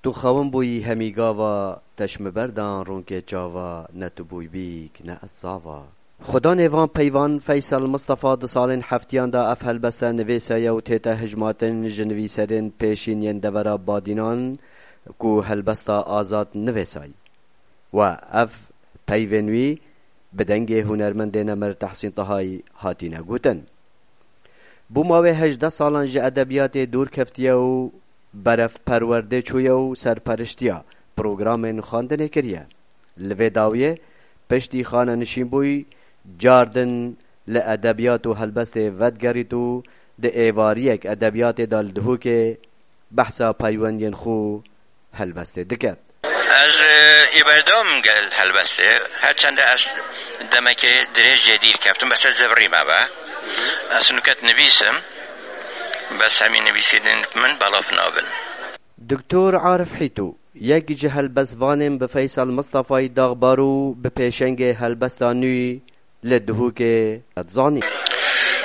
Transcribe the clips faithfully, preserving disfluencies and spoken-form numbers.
Tu xewin bûyî hemî gava, te ji min berdan rûnkê çava, ne tu bûy bîk, ne ez sava. Xwedanê van peyvan Feysel Mistefa di salên heftiyan de ev helbeste nivêsaye û tête hijmatin ji nivîserên pêşîn yên devera Badînan ku helbesta Azad nivêsayî. We ev peyvên wî bi dengê hunermendê nemir Tehsîn Tahayî hatine gotin. Bûma wê hejdeh salan ji edebiyatê dûr keftiye û berev perwerdê çûye û serperiştiya programên xwendinê kiriye. Li vê dawiyê piştî xanenişînbûyî cardin li edebiyat û helbestê vedigerît û di êvariyek edebiyatê de li Duhokê behsa peywendiyên xwe helbestê diket. Ez, e, ê berdewam im gel helbestê. Her çende ez demekê dirêj jê dîr keftim, bes ez zivirî me be. Ez nuket nivîsim, bes hemî nivîsînên min belav nabin. Doktor Arif Hîtû, yek ji helbestvanên bi Feysel Mistefayî daxbar û bi pêşengê helbesta nû li Duhokê zanî.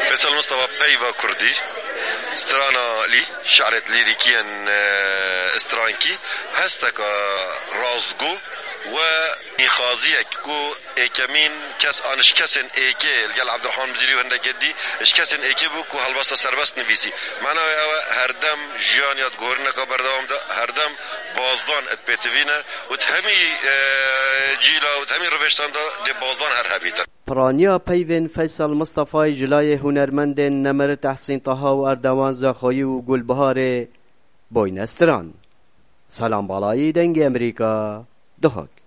Feysel Mistefa peyva kurdî, strana lî, şi'ret lîrîkî yên, e, strankî, hesteka rastgo we nîxaziyek ku êkemîn kes an ji kesên êkê li gel Abdurrahman Mizîrî û hindekê dî ji kesên êkê bû ku helbesta serbest nivîsî. Mena wê ew e, herdem jiyan ya di gorineka berdewam de, herdem bazdan di pêtivî ne û di hemî, e, cîla û di hemî rivêştan de dê bazdan her hebîtin. Piraniya peyvên Feysel Mistefayî ji layê hunermendên nemir Tehsîn Taha û Erdewan Zexoyî û Gulbiharê boyne stran. Selam Balayî, Dengê Emerîka, Duhok.